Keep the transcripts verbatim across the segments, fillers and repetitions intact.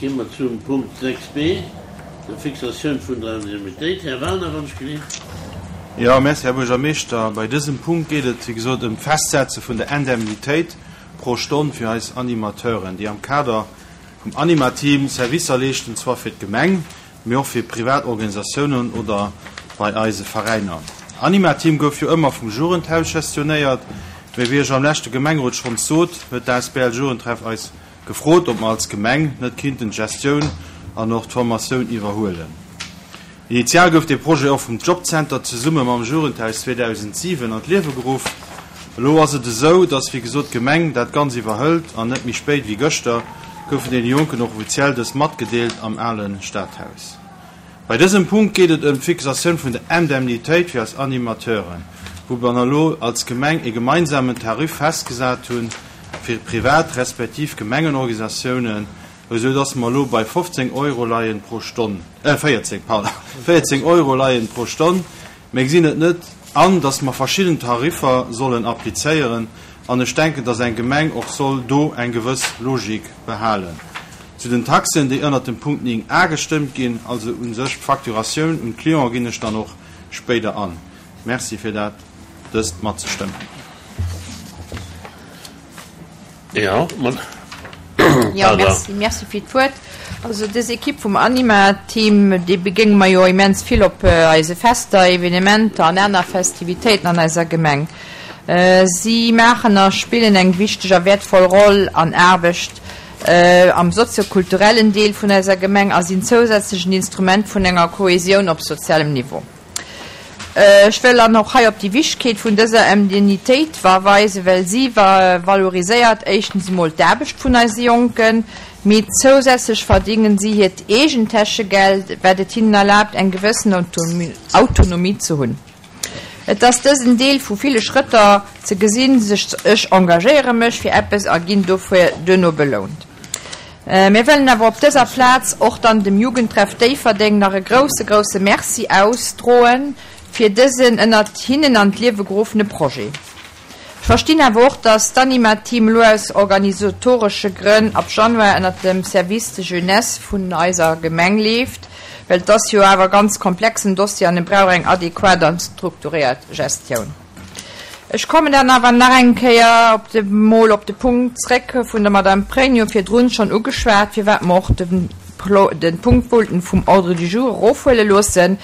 Gi mer zum Punkt sechs b, der Fixatioun vun der Indemnitéit. Här Werner, wann ech gelift. Jo, merci, Här Buergermeeschter. Bei dësem Punkt geet et, wéi gesot, ëm d'Festsetze vun der Indemnitéit pro Stonn fir eis Animateuren, déi am Kader vum Animateam Servicer leeschten, zwar fir d'Gemeng, mee och fir privat Organisatiounen oder bei eise Veräiner. Animateam gouf jo ëmmer vum Jugendhaus gestionéiert, mee wéi ech am leschte Gemengerot schonns sot, huet d'A S B L Jugendtreff eis gefrot, ob mer als Gemeng net kinnten d'Gestioun an och d'Formatioun iwwerhuelen. Initial gouf de Projet och vum Jobcenter zesumme mam Jugendhaus zweedausentsiwen an d'Liewe geruff. Elo ass et esou, datt, wéi gesot, d'Gemeng dat Ganzt iwwerhëlt an net méi spéit wéi gëschter goufen deene Jonken och offiziell dës matgedeelt am ale Stadhaus. Bei dësem Punkt geet et ëm d'Fixatioun vun der Indemnitéit fir eis Animateuren, wou mer elo als Gemeng e gemeinsamen Tarif festgesat hunn fir privat respektiv Gemengenorganisatiounen, esou datt mer elo bei fofzéng Euro leien pro Stonn, äh véierzéng, pardon, véierzéng Euro leien pro Stonn. Mir gesinn et net an, datt mer verschidden Tariffer sollen applizéieren, an ech denken, datt eng Gemeng och soll do eng gewëss Logik behalen. Zu den Taxen, déi ënnert dem Punkt néng a gestëmmt ginn, also u sech d'Facturatioun un d'Client, ginn ech dann och spéider an. Merci fir dat dëst matzestëmmen. Jo, Jo, merci, merci fir d'Wuert. Also dës Ekipp vum Anima-Team, déi begéinge mer jo immens vill op eise Fester, Evenementer an aner Festivitéiten an eiser Gemeng. Si maachen a spillen eng wichteg a wäertvoll Roll an Aarbecht am soziokulturellen Deel vun eiser Gemeng a sinn zousätzlech en Instrument vun enger Kohesioun op sozialem Niveau. Ech wëll dann och hei op déi Wichtegkeet vun dëser Indemnitéit verweisen, well si valoriséiert éischtens emol d'Aarbecht vun eise Jonken, mee zousätzlech verdéngen si hiert eegent Täschegeld, wat et hinnen erlaabt, eng gewëssen Autonomie ze hunn. Et ass dësen Deel vu ville Schrëtter ze gesinn, sech ech engagéiere mech fir eppes a ginn dofir duerno belount. Mir wëllen awer op dëser Plaz och dann dem Jugendtreff Déifferdeng nach e grousse, grousse Merci ausdroen fir dësen ënnert hinnen an d'Liewe geruffene Projet. Ech verstinn awer och, dass d'Anima-Team elo aus organisatoresche Grënn ab Januar ënnert dem Service de Jeunesse vun eiser Gemeng leeft, well et ass jo awer e ganz komplexen Dossier an e brauch eng adequat an strukturéiert Gestioun. Ech kommen dann awer nach eng Kéier op de mol op de Punkt zréck vun der Madame Pregno virdrun schonn ugeschwat, firwat mer och de de Punkt wollten vum Ordre du jour erofhuele loossen.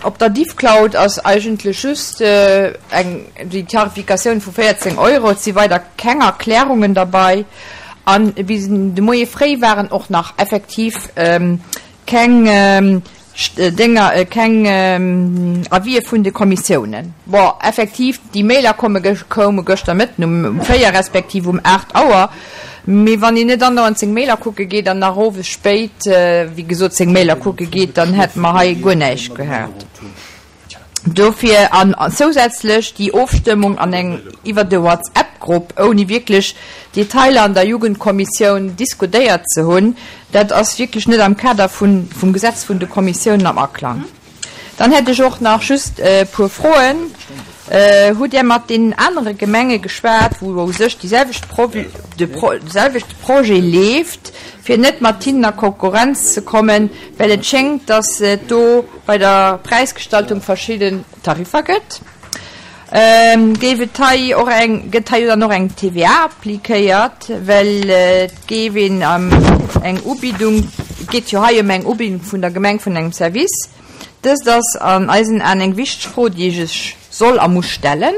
Op der Diffcloud ass eigentlech just eng déi Tarifikatioun vu véierzéng Euro. Et si weider keng Erklärungen derbei. An bis de Moie fréi waren och nach effektiv keng Dénger, keng Avisë vun de Kommissiounen. Bon, effektiv, déi Mailer komme koume gëschter Mëtten um véier respektiv um aacht Auer. Mee wann een net andauernd seng Mailer kucke geet an nach owes spéit, wéi gesot, seng Mailer kucke geet, dann hätte mer hei guer näischt gehat. Dofir an zousätzlech déi Ofstëmmung an eng iwwer de WhatsApp-Grupp, ouni wierklech Detailer an der Jugendkommissioun diskutéiert ze hunn, dat ass wierklech net am Kader vun vum Gesetz vun de Kommissiounen am Aklang. Dann hätt ech och nach just e puer Froen. Hutt Dir mat deenen anere Gemenge geschwat, wou u sech déi selwecht de selwechte Projet leeft, fir net mat hinnen a Konkurrenz ze kommen, well et schéngt, datt et do bei der Präisgestaltung verschidden Tariffer gëtt? Géif et hei och eng, gëtt hei dann och eng T V A appliquéiert, well et géif een eng Ubiddung, et geet jo hei ëm eng Ubiddung vun der Gemeng vun engem Service. Dëst ass an eisen Aen eng wichteg Fro, déi ee sech soll a muss stellen.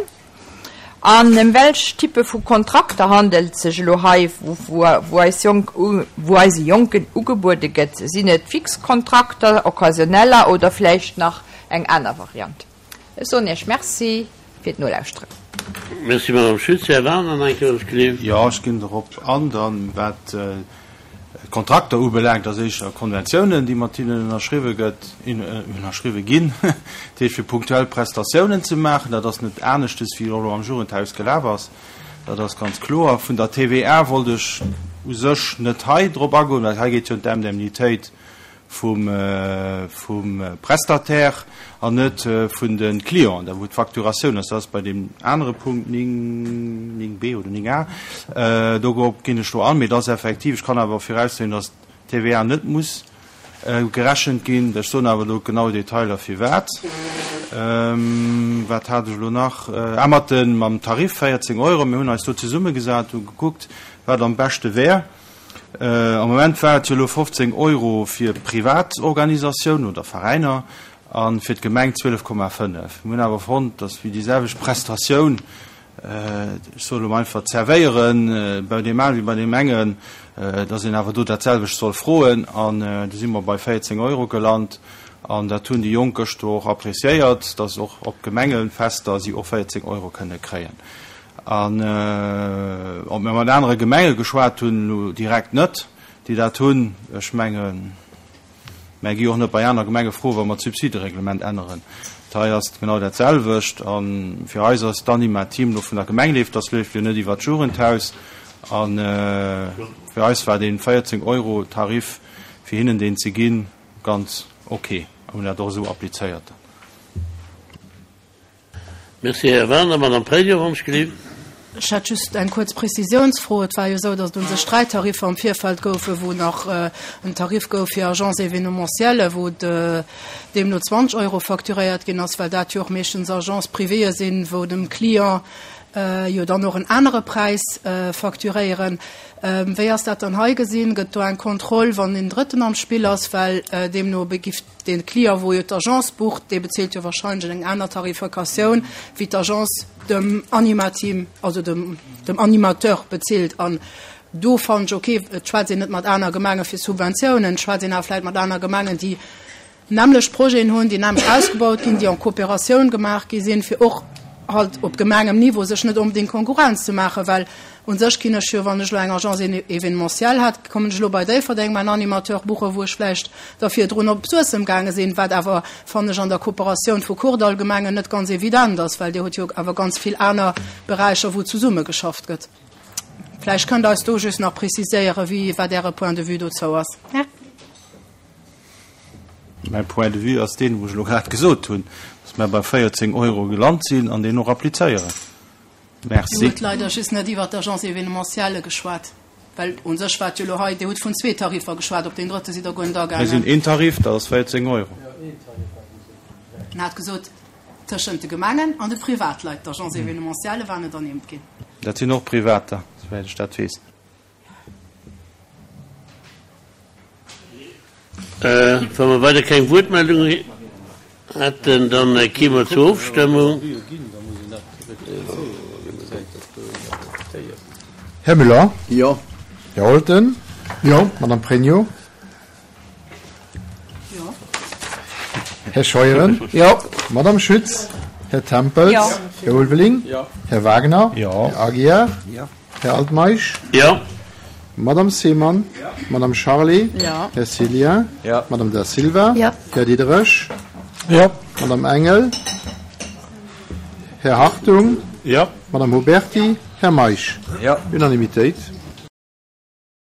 An ëm welch Typpe vu Kontrakter handelt sech elo hei, wou eis Jonk, wou eise Jonken ugebuede gëtt? Sinn et fix Kontrakter, occasionneller oder vläicht nach eng aner Variant? Ech soen Iech Merci fir d'Nolauschteren. Merci, Madame Schütz. Här Werner, nach eng Kéier, wann ech gleef. Jo, ech ginn dorop an. Dann, wat d'Kontrakter ubelaangt, ass éischter Konventiounen, déi mat hinnen ënnerschriwwe gëtt, ënnerschriwwe ginn, dat heescht fir punktuell Prestatiounen ze maachen. Dat ass net aneschtes, wéi elo am Jugendhaus gelaf ass. Dat ass ganz kloer. Vun der T V A wollt ech u sech net hei drop agoen, well hei geet jo ëm d'Indemnitéit vum, vum Prestataire an net vun de Clienten, da wou d'Facturatioun ass. Dat ass bei deem anere Punkt néng, néng B oder néng A. Do ginn ech do an, mee dat ass effektiv, ech kann awer viraussoen, datt T V A net muss gerechent ginn. Ech soen awer elo genau Detailer firwat. Wat hat ech elo nach? Ah, mat den, mam Tarif véierzéng Euro. Mir hunn eis do zesummegesat, hu gekuckt, wat am beschte wär. Am Moment war et jo elo fofzéng Euro fir Privatorganisatiounen oder Veräiner a fir d'Gemeng zwielef Komma fënnef. Mir hunn awer fonnt, dass fir déi selwecht Prestatioun, ech soen elo einfach zerwéieren, bei deem einen wéi bei deem engen, dass een awer do dat selwecht soll froen, an do si mer bei véierzéng Euro gelant an dat hunn déi Jonk gëschter och appréciéiert, dass och op Gemengefester si och véierzéng Euro kënne kréien. An ob mir mat anere Gemenge geschwat hunn, elo direkt net, déi dat hunn. Ech mengen, mir gi och net bei aner Gemenge froen, wa mer d'Subsidereglement änneren. Hei ass et genau dat selwecht. A fir eis ass d'Anima-Team elo vun der Gemeng leeft, dat leeft jo net iwwer d'Jugendhaus. A fir eis war dee véierzéng Euro Tarif fir hinnen deen ze ginn ganz ok. A hunn dat och esou applizéiert. Merci, Här Werner. Madame Pregno. Ech hätt just eng kuerz Prezisiounsfro. Et war jo esou, datt et u sech dräi Tariffer am Virfeld goufen, wou nach en Tarif gouf fir Agence événementielle, wou deemno zwanzeg Euro facturéiert ginn ass, well dat jo och meeschtens Agences privées sinn, wou dem Client jo dann och en anere Präis facturéieren. Wéi ass dat dann hei gesinn? Gëtt do eng Kontroll, wann en Drëtten am Spill ass, well deemno begiff de Client, wou jo d'Agence bucht, dee bezilt jo wahrscheinlech eng aner Tarifikatioun wéi d'Agence dem Animateam, also dem, dem Animateur bezilt. An do fannen ech, okay, et schwätzt een net mat aner Gemenge fir Subventiounen, et schwätzt een awer vläicht mat aner Gemengen, déi nämmlecht Projeten hunn, déi nämmlecht ausgebaut ginn, déi en Kooperatioun gemaach gi sinn, fir och halt op Gemengenniveau sech net onbedéngt Konkurrenz ze maachen, well u sech ginn ech jo, wann ech elo eng Agence événementielle hätt, kommen ech elo bei Déifferdeng mäin Animateur buchen, wou ech vläicht da virdrun op Suessem gaange sinn, wat awer, fannen ech, an der Kooperatioun vu Kordallgemengen net ganz evident ass, well Dir hutt jo awer ganz vill aner Beräicher, wou zesummegeschafft gëtt. Vläicht kënnt Der eis do just nach preziséieren, wéi, wat Äre Point de vue dozou ass. Mäi Point de vue ass deen, wou ech elo grad gesot hunn, dass mir bei véierzéng Euro gelant sinn an deen och applizéieren. Merci. Dir hutt leider just net iwwert d'Agence événementielle geschwat, well u sech war et jo elo hei, Dir hutt vun zwee Tariffer geschwat, op deen drëtte sidd Der guer net agaangen. Mir sinn een Tarif, dat ass véierzéng Euro. En hat gesot, tëschent de Gemengen an de Privatleit, d'Agence événementielle war net ernimmt ginn. Dat sinn och Privater, souwäit ech dat weess. Wa mer weider keng Wuertmeldung hätten, dann gi mer zur Ofstëmmung. Här Müller? Jo. Här Holten? Jo. Madame Pregno? Jo. Här Scheuren? Jo. Madame Schütz? Här Tempels? Jo. Här Ulveling? Jo. Här Wagner? Jo. Här Aguiar? Jo. Här Altmeisch? Jo. Madame Seemann? Jo. Madame Charlé? Jo. Här Cillien? Jo. Madame Da Silva? Jo. Här Diderich? Jo. Madame Engel? Här Hartung? Jo. Madame Huberti? Här Meisch? Jo. Unanimitéit.